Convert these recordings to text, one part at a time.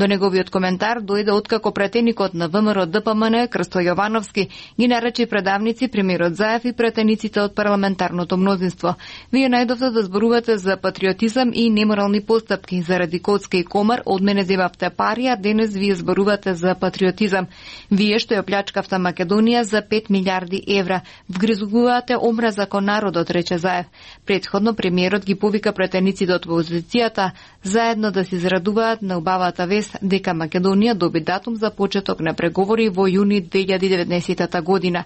До неговиот коментар дојде откако претеникот на ВМРО ДПМН Крсто Јовановски ги нарече предавници премиерот Заев и претениците од парламентарното мнозинство. Вие најдовте да зборувате за патриотизам и неморални постапки. Заради Коцка и Комар од мене земавте пари, а денес вие зборувате за патриотизам. Вие што ја плячкавте Македонија за 5 милиарди евра. Вгризувате омраза кон народот, рече Заев. Претходно премиерот ги повика претениците од опозицијата заедно да се израдуваат на убавата вест дека Македонија доби датум за почеток на преговори во јуни 2019 година.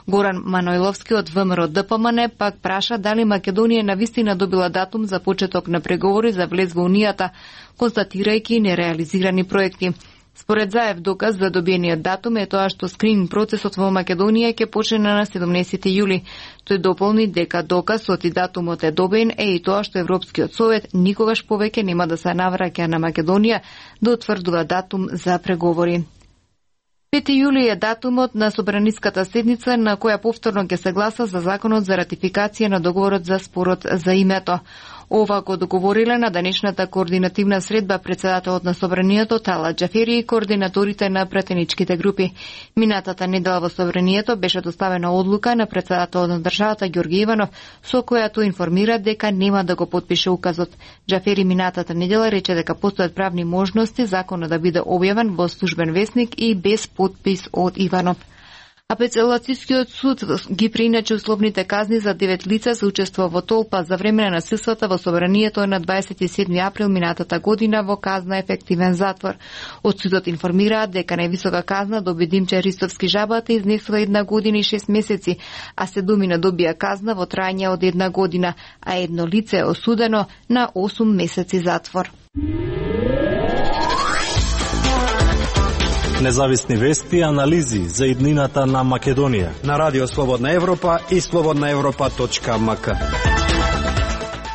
Горан Манойловски од ВМРО ДПМН пак праша дали Македонија навистина добила датум за почеток на преговори за влез во Унијата, констатирајќи нереализирани проекти. Според Заев, доказ за добиениот датум е тоа што скрининг процесот во Македонија ќе почне на 17 јули. Тој дополни дека доказ и датумот е добиен е и тоа што Европскиот совет никогаш повеќе нема да се навраќа на Македонија да утврдува датум за преговори. 5 јули е датумот на собраниската седница на која повторно ќе се гласа за законот за ратификација на договорот за спорот за името. Ова го договориле на денешната координативна средба председателот на Собранието Талат Џафери и координаторите на претеничките групи. Минатата недела во Собранието беше доставена одлука на председателот на државата Ѓорги Иванов, со којато информира дека нема да го потпише указот. Џафери минатата недела рече дека постојат правни можности законот да биде објавен во службен весник и без потпис од Иванов. Апелацискиот суд ги прииначи условните казни за 9 лица за учество во толпа за време на насилствата во Собранието на 27 април минатата година во казна ефективен затвор. Од судот информираат дека највисока казна доби Димче Ристовски Жабата изнесува 1 година и 6 месеци, а седумина добија казна во трајање од 1 година, а едно лице е осудено на 8 месеци затвор. Независни вести и анализи за иднината на Македонија на Радио Слободна Европа и slobodnaevropa.mk.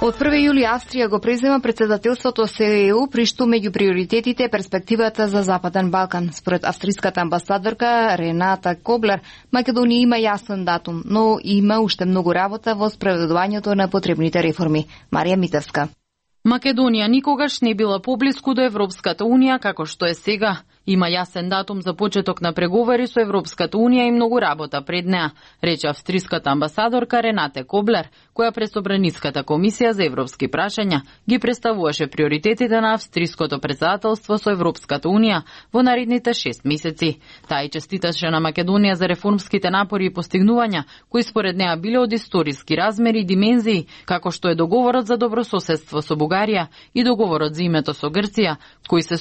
Од 1 јули Австрија го презема претседателството со ЕУ, при што меѓу приоритетите е перспективата за Западен Балкан. Според австриската амбасадорка Рената Коблер, Македонија има јасен датум, но има уште многу работа во спроведувањето на потребните реформи. Марија Митевска. Македонија никогаш не била поблиску до Европската Унија како што е сега. Има јасен датум за почеток на преговори со Европската Унија и многу работа пред неа, рече австриската амбасадорка Ренате Коблер, која пред Собраниската комисија за европски прашања ги представуваше приоритетите на австриското председателство со Европската Унија во наредните 6 месеци. Таа и честиташе на Македонија за реформските напори и постигнувања, кои според неа биле од историски размери и димензии, како што е договорот за добрососедство со Бугарија и договорот за името со Грција, кои се